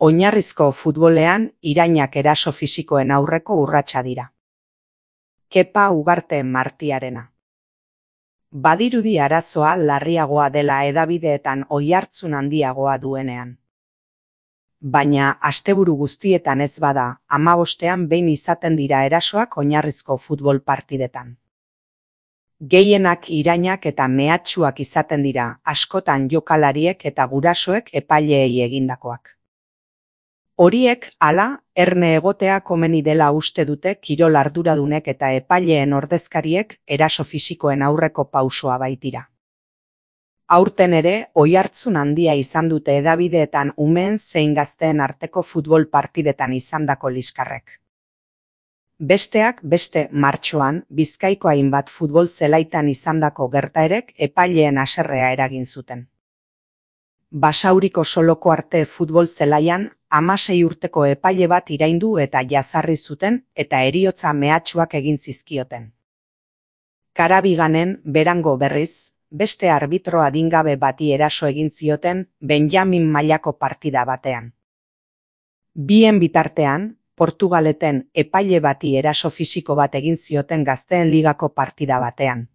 Oinarrizko futbolean irainak eraso fisikoen aurreko urratsa dira. Kepa Ugarte Martiarena. Badirudi arazoa larriagoa dela hedabideetan oihartzun handiagoa duenean. Baina asteburu guztietan ez bada, 15ean behin izaten dira erasoak oinarrizko futbol partidetan. Gehienak irainak eta mehatxuak izaten dira, askotan jokalariek eta gurasoek epaileei egindakoak. Horiek, hala, erne egotea komeni dela uste dute kirol arduradunek eta epaileen ordezkariek eraso fisikoen aurreko pausoa baitira. Aurten ere, oihartzun handia izan dute hedabideetan umeen zein gazteen arteko futbol partidetan izandako liskarrek. Besteak beste martxoan, Bizkaiko hainbat futbol zelaitan izandako gertaerek epaileen haserrea eragin zuten. Basauriko Soloko Arte futbol zelaian 16 urteko epaile bat iraindu eta jazarri zuten eta heriotza mehatxuak egin zizkioten. Karabiganen, Berango berriz, beste arbitro adingabe bati eraso egin zioten Benjamin mailako partida batean. Bien bitartean, Portugaleten epaile bati eraso fisiko bat egin zioten Gazteen Ligako partida batean.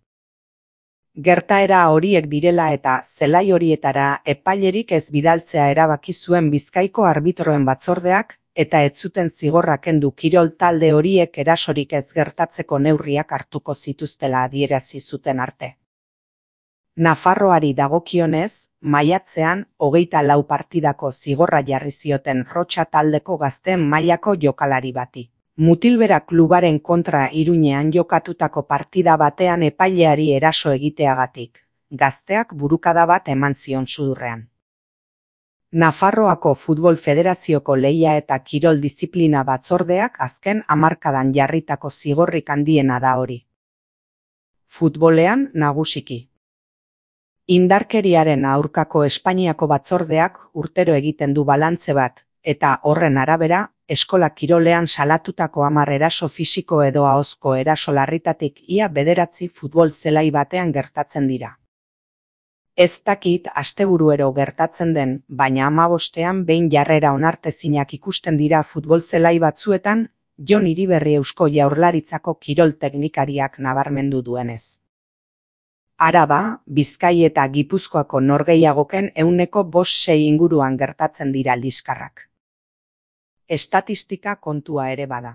Gertaera horiek direla eta zelai horietara epailerik ez bidaltzea erabaki zuen Bizkaiko arbitroen batzordeak eta ez zuten zigorra kendu kirol talde horiek erasorik ez gertatzeko neurriak hartuko zituztela adierazi zuten arte. Nafarroari dagokionez, maiatzean 24 partidako zigorra jarri zioten Rotsa taldeko Gazteen mailako jokalari bati. Mutilbera klubaren kontra Iruñean jokatutako partida batean epaileari eraso egiteagatik, gazteak burukada bat eman zion sudurrean. Nafarroako Futbol Federazioko lehia eta kirol diziplina batzordeak azken hamarkadan jarritako zigorrik handiena da hori. Futbolean nagusiki. Indarkeriaren aurkako Espainiako batzordeak urtero egiten du balantze bat, eta horren arabera, eskola kirolean salatutako 10 eraso fisiko edo ahozko eraso larritatik ia 9 futbol zelai batean gertatzen dira. Ez dakit asteburuero gertatzen den, baina 15ean behin jarrera onartezinak ikusten dira futbol zelai batzuetan, Jon Iriberri Eusko Jaurlaritzako kirol teknikariak nabarmendu duenez. Araba, Bizkai eta Gipuzkoako norgehiagoken 5% inguruan gertatzen dira liskarrak. Estatistika kontua ere bada.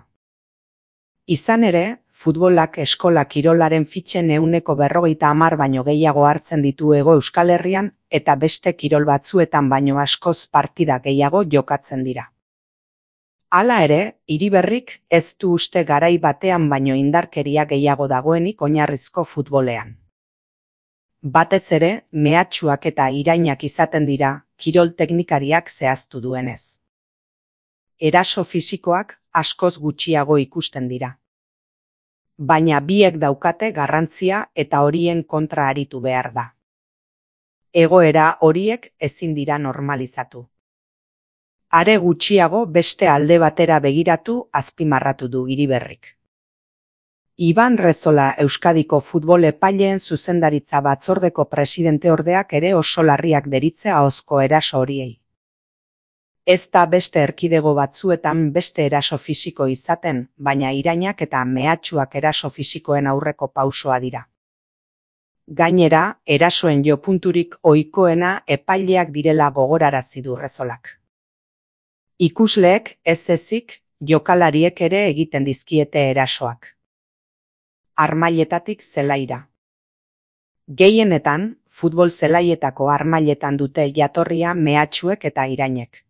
Izan ere, futbolak eskola kirolaren fitxen 50% baino gehiago hartzen ditu Hego Euskal Herrian eta beste kirol batzuetan baino askoz partida gehiago jokatzen dira. Hala ere, Iriberrik ez du uste garai batean baino indarkeria gehiago dagoenik oinarrizko futbolean. Batez ere, mehatxuak eta irainak izaten dira, kirol teknikariak zehaztu duenez. Eraso fisikoak askoz gutxiago ikusten dira. Baina biek daukate garrantzia eta horien kontra aritu behar da. Egoera horiek ezin dira normalizatu. Are gutxiago beste alde batera begiratu azpimarratu du Iriberrik. Iban Rezola Euskadiko futbol epaileen zuzendaritza batzordeko presidenteordeak ere oso larriak deritze ahozko eraso horiei. Ez da beste erkidego batzuetan beste eraso fisiko izaten, baina irainak eta mehatxuak eraso fisikoen aurreko pausoa dira. Gainera, erasoen jopunturik ohikoena epaileak direla gogorarazi du Rezolak. Ikusleek ez ezik, jokalariek ere egiten dizkiete erasoak. Harmailetatik zelaira. Gehienetan, futbol zelaietako harmailetan dute jatorria mehatxuek eta irainek.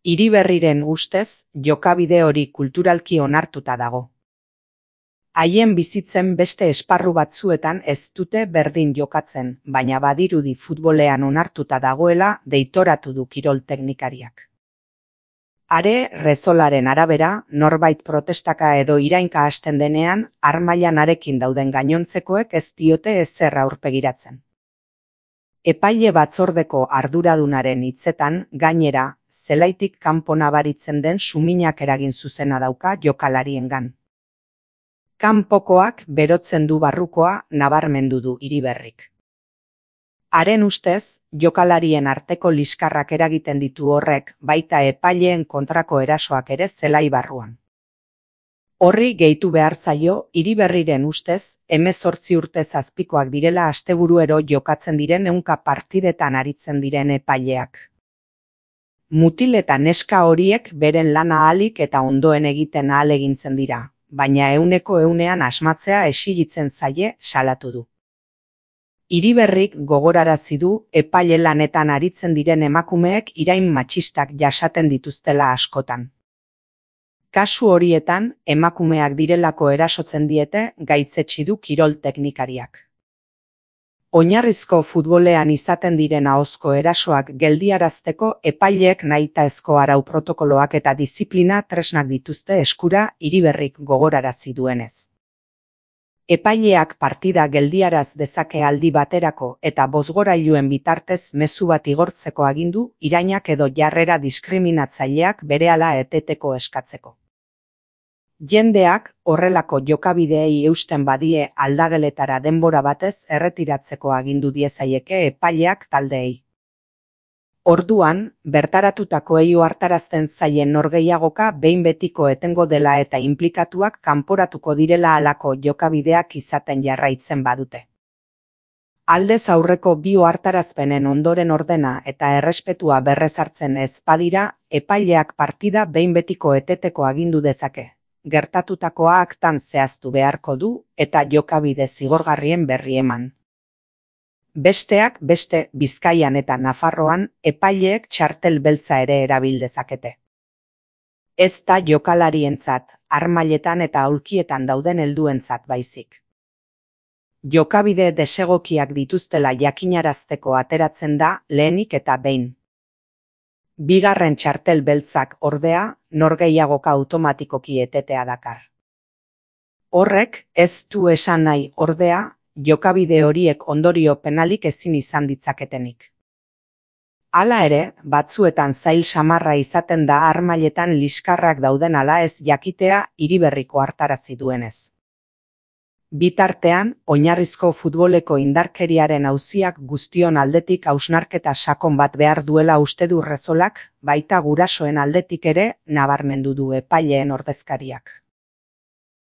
Iriberriren ustez, jokabide hori kulturalki onartuta dago. Haien bizitzen beste esparru batzuetan ez dute berdin jokatzen, baina badirudi futbolean onartuta dagoela deitoratu du kirol teknikariak. Are, Rezolaren arabera, norbait protestaka edo irainka hasten denean, harmailan harekin dauden gainontzekoek ez diote ezer aurpegiratzen. Epaile batzordeko arduradunaren hitzetan, gainera, zelaitik kanpo nabaritzen den suminak eragin zuzena dauka jokalariengan. Kanpokoak berotzen du barrukoa nabarmendu du Iriberrik. Haren ustez, jokalarien arteko liskarrak eragiten ditu horrek, baita epaileen kontrako erasoak ere zelai barruan. Horri gehitu behar zaio, Iriberriren ustez, 18 urtez azpikoak direla asteburuero jokatzen diren 100 partidetan aritzen diren epaileak. Mutil eta neska horiek beren lana ahalik eta ondoen egiten ahalegintzen dira, baina 100% asmatzea exigitzen zaie salatu du. Iriberrik gogorarazi du epaile lanetan aritzen diren emakumeek irain matxistak jasaten dituztela askotan. Kasu horietan, emakumeak direlako erasotzen diete gaitzetsi du kirol teknikariak. Oinarrizko futbolean izaten diren ahozko erasoak geldiarazteko epaileek nahitaezko arau protokoloak eta diziplina tresnak dituzte eskura Iriberrik gogorarazi duenez. Epaileak partida geldiaraz dezake aldi baterako eta bozgorailuen bitartez mezu bat igortzeko agindu irainak edo jarrera diskriminatzaileak berehala eteteko eskatzeko. Jendeak horrelako jokabideei eusten badie aldageletara denbora batez erretiratzeko agindu diezaieke epaileak taldeei. Orduan, bertaratutakoei ohartarazten zaien norgehiagoka behin betiko etengo dela eta inplikatuak kanporatuko direla halako jokabideak izaten jarraitzen badute. Aldez aurreko bi ohartarazpenen ondoren ordena eta errespetua berrezartzen ez badira, epaileak partida behin betiko eteteko agindu dezake. Gertatutakoa aktan zehaztu beharko du eta jokabide zigorgarrien berri eman. Besteak beste Bizkaian eta Nafarroan epaileek txartel beltza ere erabil dezakete. Ez da jokalarientzat, harmailetan eta aulkietan dauden helduentzat baizik. Jokabide desegokiak dituztela jakinarazteko ateratzen da lehenik eta behin. Bigarren txartel beltzak ordea, norgehiagoka automatikoki etetea dakar. Horrek ez du esan nahi ordea, jokabide horiek ondorio penalik ezin izan ditzaketenik. Hala ere, batzuetan zail samarra izaten da harmailetan liskarrak dauden ala ez jakitea Iriberriko hartarazi duenez. Bitartean, oinarrizko futboleko indarkeriaren auziak guztion aldetik hausnarketa sakon bat behar duela uste du Rezolak, baita gurasoen aldetik ere nabarmendu du epaileen ordezkariak.